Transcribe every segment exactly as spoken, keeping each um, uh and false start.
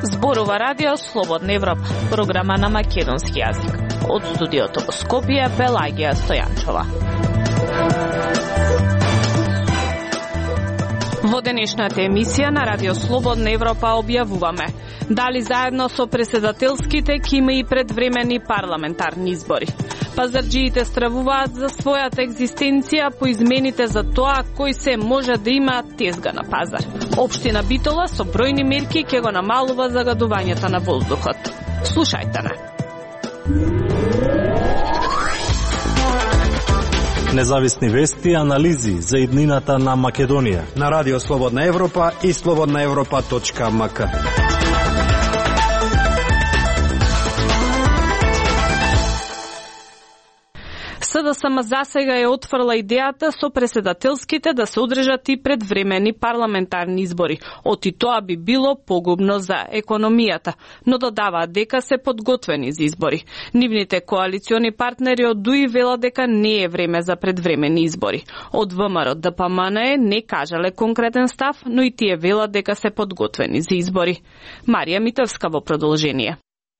Зборува Радио Слободна Европа, програма на македонски јазик. Од студиото во Скопје, Пелагија Стојанчова. Во денешната емисија на Радио Слободна Европа објавуваме дали заедно со преседателските ќе има и предвремени парламентарни избори. Пазарџиите стравуваат за својата екзистенција по измените за тоа кој се може да има тезга на пазар. Општина Битола со бројни мерки ќе го намалува загадувањето на воздухот. Слушајте на. Независни вести и анализи за иднината на Македонија на Радио Слободна Европа и слободна европа точка ем ка. СДСМ засега е отфрла идејата со преседателските да се одржат и предвремени парламентарни избори. Оти тоа би било погубно за економијата, но додаваат дека се подготвени за избори. Нивните коалициони партнери од ДУИ велат дека не е време за предвремени избори. Од ВМРО ДПМН не кажале конкретен став, но и тие велат дека се подготвени за избори. Марија Митевска во продолжение.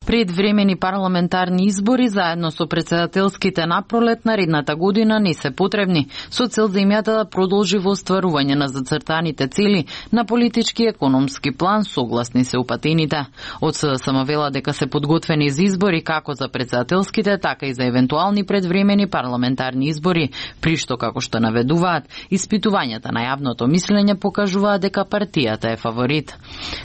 Предвремени парламентарни избори заедно со председателските напролет наредната година не се потребни, со цел земјата да продолжи во остварување на зацртаните цели на политички и економски план, согласни се упатените. Од СДСМ вела дека се подготвени за избори како за председателските, така и за евентуални предвремени парламентарни избори, при што, како што наведуваат, испитувањата на јавното мислење покажуваат дека партијата е фаворит.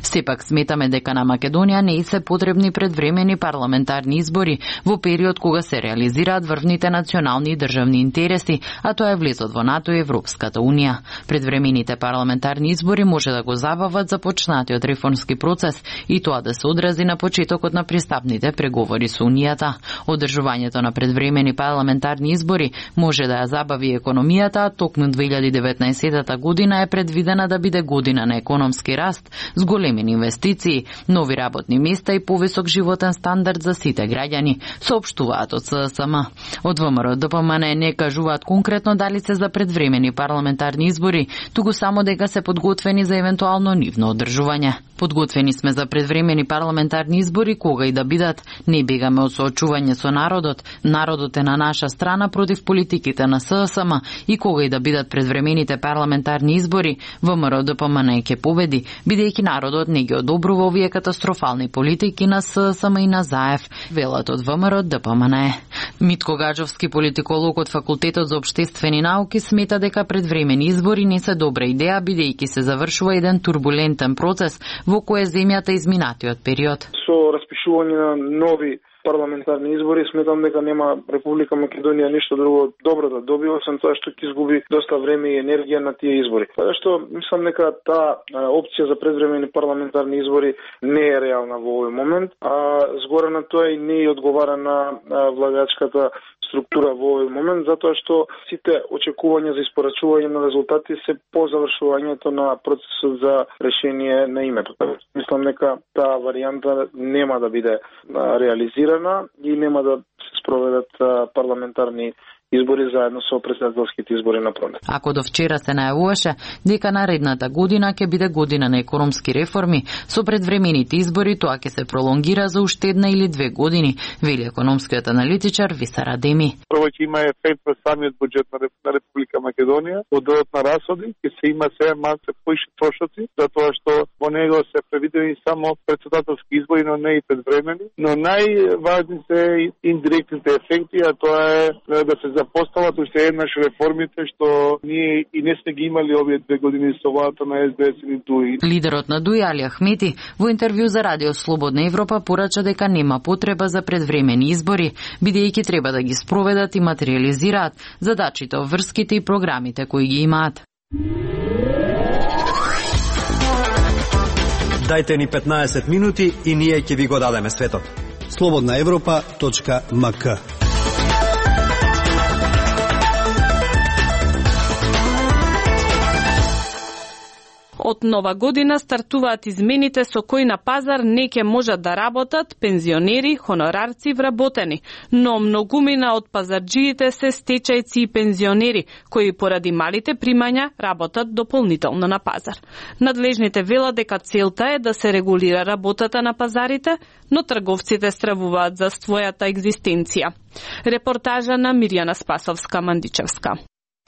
Сепак сметаме дека на Македонија не се потребни предвремени времени парламентарни избори во период кога се реализираат врвните национални и државни интереси, а тоа е влезот во НАТО и Европската Унија. Предвремените парламентарни избори може да го забават започнатиот реформски процес и тоа да се одрази на почетокот на пристапните преговори со Унијата. Одржувањето на предвремени парламентарни избори може да ја забави економијата, а токму две илјади и деветнаесетта година е предвидена да биде година на економски раст с големи инвестиции, нови работни места и повисок живот стандард за сите граѓани, соопштуваат од СДСМ. Од ВМРО ДПМН не кажуваат конкретно дали се за предвремени парламентарни избори, туку само дека се подготвени за евентуално нивно одржување. Подготвени сме за предвремени парламентарни избори кога и да бидат. Не бегаме од соочување со народот. Народот е на наша страна против политиките на СДСМ и кога и да бидат предвремените парламентарни избори, ВМРО ДПМН ќе победи, бидејќи народот не ги одобрува овие катастрофални политики на СДСМ и на ЗАЕФ, велат од ВМРО ДПМН. Митко Гаджовски, политиколог од Факултетот за општествени науки, смета дека предвремени избори не се добра идеја, бидејќи се завршува еден турбулентен процес во кој земјата изминатиот период. Со распишување на нови парламентарни избори, сметам дека нема Република Македонија ништо друго добро да добие, освен тоа што ќе изгуби доста време и енергија на тие избори. Така што мислам дека таа опција за предвремени парламентарни избори не е реална во овој момент, а згора на тоа и не одговара на владачката структура во овој момент, затоа што сите очекувања за испорачување на резултати се по завршувањето на процесот за решение на името. Мислам дека таа варијанта нема да биде реализирана и нема да се спроведат парламентарни избори заедно со председателските избори на пролет. Ако до вчера се најавуваше дека наредната година ќе биде година на економски реформи, со предвремените избори тоа ќе се пролонгира за уште една или две години, вели економскиот аналитичар Висар Адеми. Прво ќе има ефект во самиот буџет на Република Македонија, од додат на расходи, ќе се има се малку поише трошоци, затоа што во него се предвидени само председателски избори, но не и предвремени, но најважни се индиректните ефекти, а тоа е да се запостават уште еднаш реформите што ние и не сме ги имали овие две години со владата на СДС и ДУИ. Лидерот на ДУИ Али Ахмети во интервју за Радио Слободна Европа порача дека нема потреба за предвремени избори, бидејќи треба да ги спроведат и материализираат задачите, врските и програмите кои ги имаат. Дајте ни петнаесет минути и ние ќе ви го дадеме светот. слободна европа точка ем ка. Од нова година стартуваат измените со кои на пазар не ќе можат да работат пензионери, хонорарци и вработени, но многумина од пазарџиите се стечајци и пензионери, кои поради малите примања работат дополнително на пазар. Надлежните велат дека целта е да се регулира работата на пазарите, но трговците стравуваат за својата екзистенција. Репортажа на Мирјана Спасовска-Мандичевска.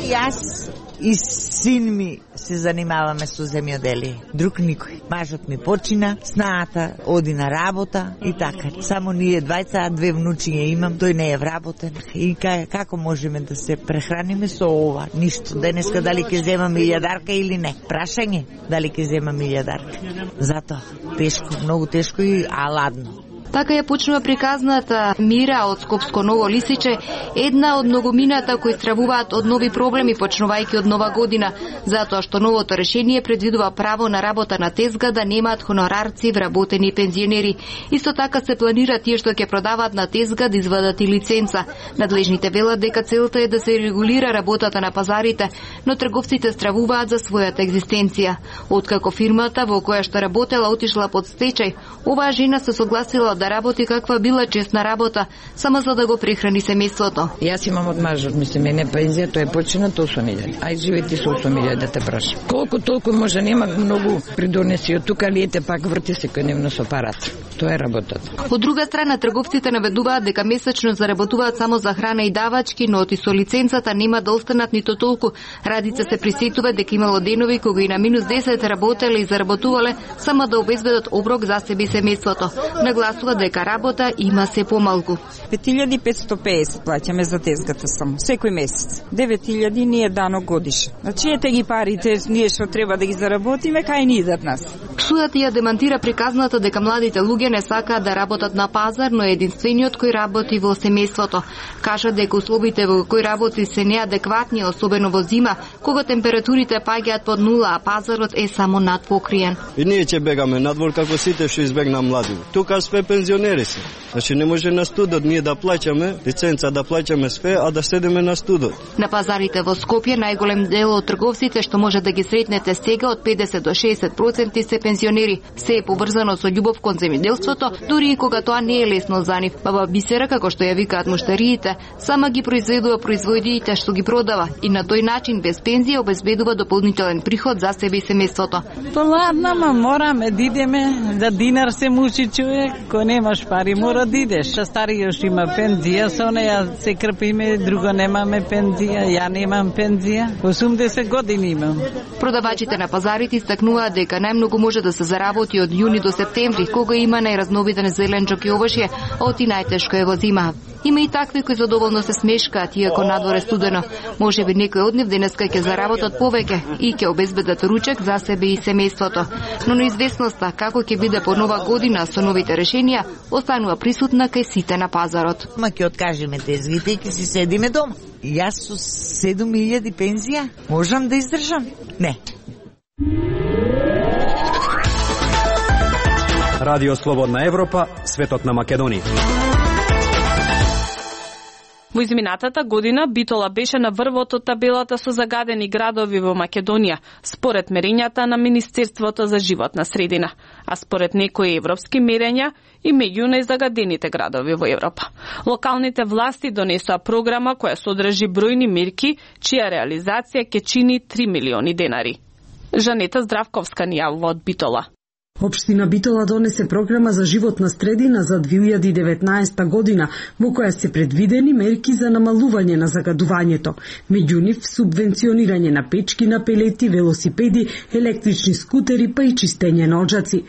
Јас и син ми се занимаваме со земјоделие. Друг никој. Мажот ми почина, снаата оди на работа и така. Само ние двајца, две внучиња имам, тој не е вработен. И како можеме да се прехраниме со ова? Ништо. Денеска дали ќе земаме илјадарка или не? Прашање дали ќе земаме илјадарка. Затоа тешко, многу тешко и а ладно. Така ја почнува приказната Мира од Скопско Ново Лисиче, една од многумината кои стравуваат од нови проблеми почнувајќи од нова година, затоа што новото решение предвидува право на работа на тезга да немаат хонорарци, вработени пензионери. Исто така се планира тие што ќе продаваат на тезга да извадат и лиценца. Надлежните велат дека целта е да се регулира работата на пазарите, но трговците стравуваат за својата екзистенција. Откако фирмата во која што работела отишла под стечај, оваа жена се согласила да работи каква била честна работа, само за да го прехрани семејството. Јас имам од мажот, мислам, мене пензија, тој е почина осум илјади. Ај живети со осум илјади да те прашам. Колку толку може, нема многу придонеси од тука, ли ете пак врти секој дневно со парата. Тоа е работата. Од друга страна, трговците наведуваат дека месечно заработуваат само за храна и давачки, но оти со лиценцата нема да останат нито толку. Радица се присетува дека имало денови кога и на минус десет работеле и заработувале само да обезбедат оброк за себе и семејството. Нагласува дека работа има се помалку. пет илјади петстотини и песет плаќаме за тезгата само, секој месец. девет илјади ни е дано годишно. Значи ете ги парите, ние што треба да ги заработиме, кај ни идат нас. Псујата ја демантира приказната дека младите луѓе не сакаат да работат на пазар, но е единствениот кој работи во семејството. Кажа дека условите во кои работи се неадекватни, особено во зима, кога температурите паѓаат под нула, а пазарот е само надпокриен. И ние ќе бегаме надвор како сите што избегна млади. Тука све пензионери се. Значи не може на студот ние да плаќаме, лиценца да плаќаме све, а да седиме на студот. На пазарите во Скопје најголем дел од трговците што може да ги сретнете сега од педесет до шеесет проценти се пензионери. Се е поврзано со љубов кон земјоделството, дури и кога тоа не е лесно за нив. Баба Бисера, како што ја викаат муштариите, сама ги произведува производите што ги продава и на тој начин без пензија обезбедува дополнителен приход за себе и семејството. Па ладно, ма мораме да идеме, да динар се мучи човек, кој немаш пари мора да идеш. Стариот има пензија, со неја се крпиме, друго немаме пензија, ја немам пензија, осумдесет години имам. Продавачите на пазарите истакнуваат дека најмногу може да се заработи од јуни до септември, кога има најразновиден зеленчок и овошје, а оти најтешко е во зима. Има и такви кои задоволно се смешкаат, иако надвор е студено. Може би некој од нив денеска ќе заработат повеќе и ќе обезбедат ручек за себе и семејството. Но неизвестноста како ќе биде по нова година со новите решенија останува присутна кај сите на пазарот. Ма ќе откажеме тезгите и ќе си седиме дома. Јас со седум илјади пензија можам да издржам? Не. Радио Слободна Европа, светот на Македонија. Во изминатата година Битола беше на врвот од табелата со загадени градови во Македонија, според мерењата на Министерството за животна средина, а според некои европски мерења и меѓу најзагадените градови во Европа. Локалните власти донесоа програма која содржи бројни мерки, чија реализација ќе чини три милиони денари. Жанета Здравковска ни јавува од Битола. Општина Битола донесе програма за животна средина за две илјади и деветнаесета година, во која се предвидени мерки за намалување на загадувањето. Меѓу нив субвенционирање на печки на пелети, велосипеди, електрични скутери, па и чистење на оджаци.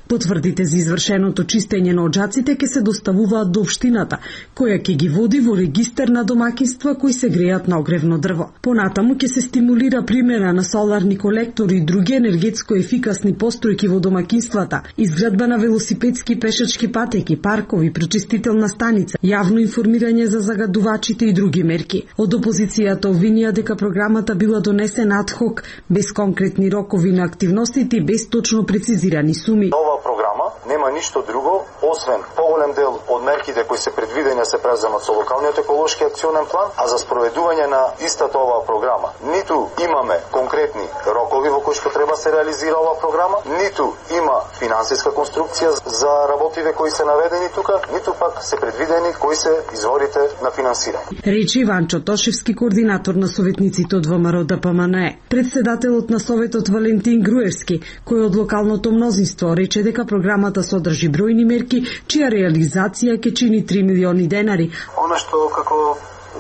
Потврдите за извршеното чистење на оджаците ќе се доставуваат до општината, која ќе ги води во регистар на домаќинства кои се греат на огревно дрво. Понатаму ќе се стимулира примера на соларни колектори и други енергетско ефикасни постројки во домаќинствата, изградба на велосипедски пешачки патеки, паркови, пречистителна станица, јавно информирање за загадувачите и други мерки. Од опозицијата обвинија дека програмата била донесена ад хок, без конкретни рокови на активностите и без точно прецизирани суми. Ова програма програма нема ништо друго освен поголем дел од мерките кои се предвидени се преземат со локалниот еколошки акционен план, а за спроведување на истата оваа програма ниту имаме конкретни рокови во кои што треба се реализира оваа програма, ниту има финансиска конструкција за работите кои се наведени тука, ниту пак се предвидени кои се изворите на финансирање. Рече Иванчо Тошевски, координатор на советниците од ВМРО Д П М Н Е. Председателот на Советот Валентин Груевски, кој од локалното мнозинство, рече дека програмата содржи бројни мерки, чија реализација ќе чини три милиони денари. Она што како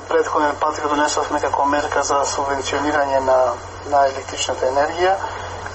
претходен пат го донесовме како мерка за субвенционирање на, на електричната енергија,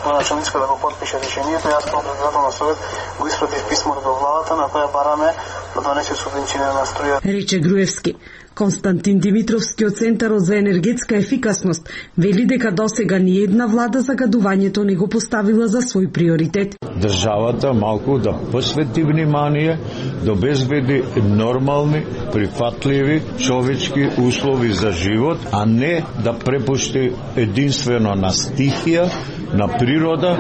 Значи, иска да го подпише решението, јас како председател на совет го испратив писмо до владата на која бараме да донесе субвенционирана струја. Рече Груевски. Константин Димитровски од Центарот за енергетска ефикасност вели дека досега ни една влада загадувањето не го поставила за свој приоритет. Државата малку да посвети внимание, да обезбеди нормални, прифатливи, човечки услови за живот, а не да препушти единствено на стихија, на природа,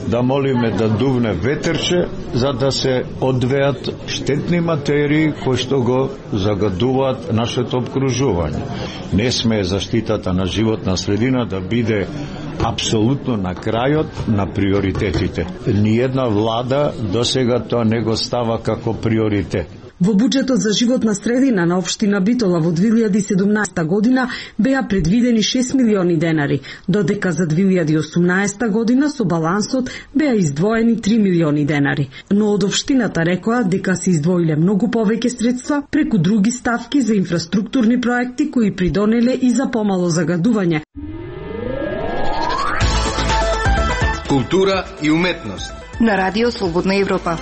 да молиме да дувне ветерче, за да се одвеат штетни материи кои што го загадуваат нашето обкружување. Не сме заштитата на животна средина да биде апсолутно на крајот на приоритетите. Ниједна влада досега тоа не го става како приоритет. Во буџетот за животна средина на општина Битола во две илјади и седумнаесета година беа предвидени шест милиони денари, додека за две илјади и осумнаесета година со балансот беа издвоени три милиони денари. Но од општината рекоа дека се издвоиле многу повеќе средства преку други ставки за инфраструктурни проекти кои придонеле и за помало загадување. Култура и уметност на Радио Слободна Европа.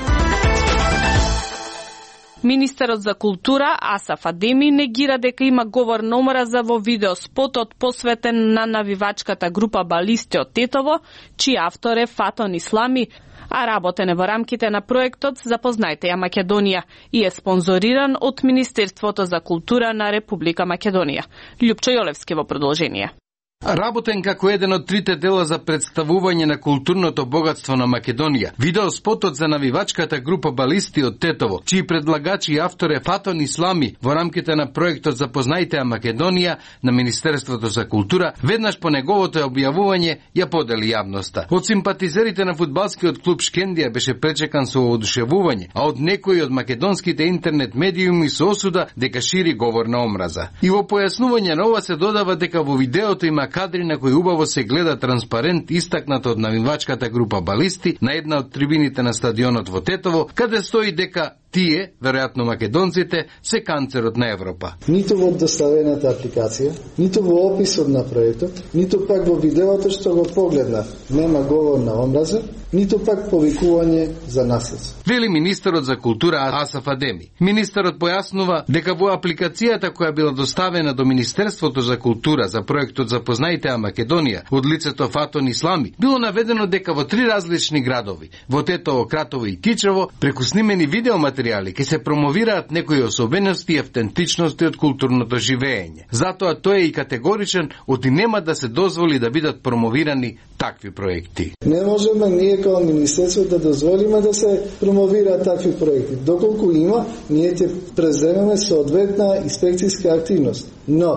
Министерот за култура Асаф Адеми негира дека има говор на омраза во видеоспотот посветен на навивачката група Балисти од Тетово, чиј автор е Фатон Ислами, а работен е во рамките на проектот Запознајте ја Македонија и е спонзориран од Министерството за култура на Република Македонија. Љупчо Јолевски во продолжение. Работен како еден од трите дела за представување на културното богатство на Македонија, видеоспотот за навивачката група Балисти од Тетово, чиј предлагач и автор е Фатон Ислами во рамките на проектот Запознајте ја Македонија на Министерството за култура, веднаш по неговото објавување ја подели јавноста. Од симпатизерите на фудбалскиот клуб Шкендија беше пречекан со одушевување, а од некои од македонските интернет медиуми со осуда дека шири говор на омраза. И во појаснување на ова се додава дека во видеото има кадри на кои убаво се гледа транспарент истакнат од навивачката група Балисти на една од трибините на стадионот во Тетово, каде стои дека тие, веројатно македонците, се канцерот на Европа. Ниту во доставената апликација, ниту во описот на проектот, ниту пак во видеото што го погледнав, нема говор на омраза, ниту пак повикување за насилство. Вели министерот за култура Асаф Адеми. Министерот појаснува дека во апликацијата која била доставена до Министерството за култура за проектот Запознајте ја Македонија од лицето Фатон Ислами, било наведено дека во три различни градови, во Тетово, Кратово и Кичево, преку снимени видеоматеријали ќе се промовираат некои особености и автентичности од културното живење. Затоа тој е и категоричен, оти нема да се дозволи да бидат промовирани такви проекти. Не можеме ние како министерство да дозволиме да се промовираат такви проекти. Доколку има, ние ќе преземеме соодветна инспекцијска активност. Но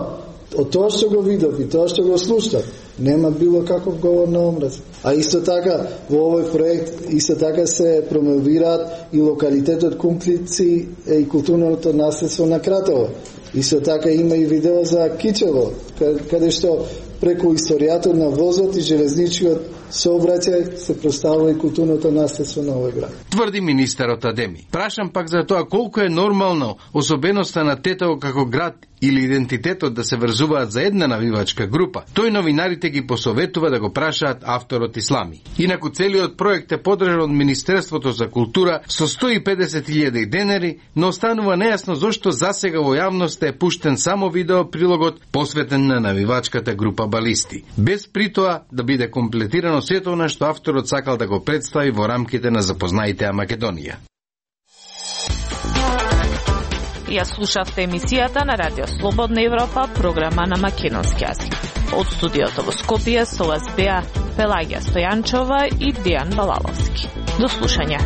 од тоа што го видов и тоа што го слушав, нема било каков говор на омраза. А исто така во овој проект исто така се промовираат и локалитетот Кумплици и културното наследство на Кратово. Исто така има и видео за Кичево, каде што преку историјата на возот и железничиот сообраќај се представува и културното наследство на овој град. Тврди министерот Адеми. Прашам пак за тоа колку е нормално особеноста на Тетово како град или идентитетот да се врзуваат за една навивачка група. Тој новинарите ги посоветува да го прашаат авторот Ислами. Инаку целиот проект е подржан од Министерството за култура со сто и педесет илјади денари, но останува нејасно зошто засега во јавноста е пуштен само видео прилогот посветен на навивачката група Балисти, без притоа да биде комплетирано сето она што авторот сакал да го представи во рамките на Запознајте ја Македонија. Ја слушавте емисијата на Радио Слободна Европа, програма на македонски јазик. Од студиото во Скопје со вас беа Пелагија Стојанчова и Дејан Балаловски. До слушање.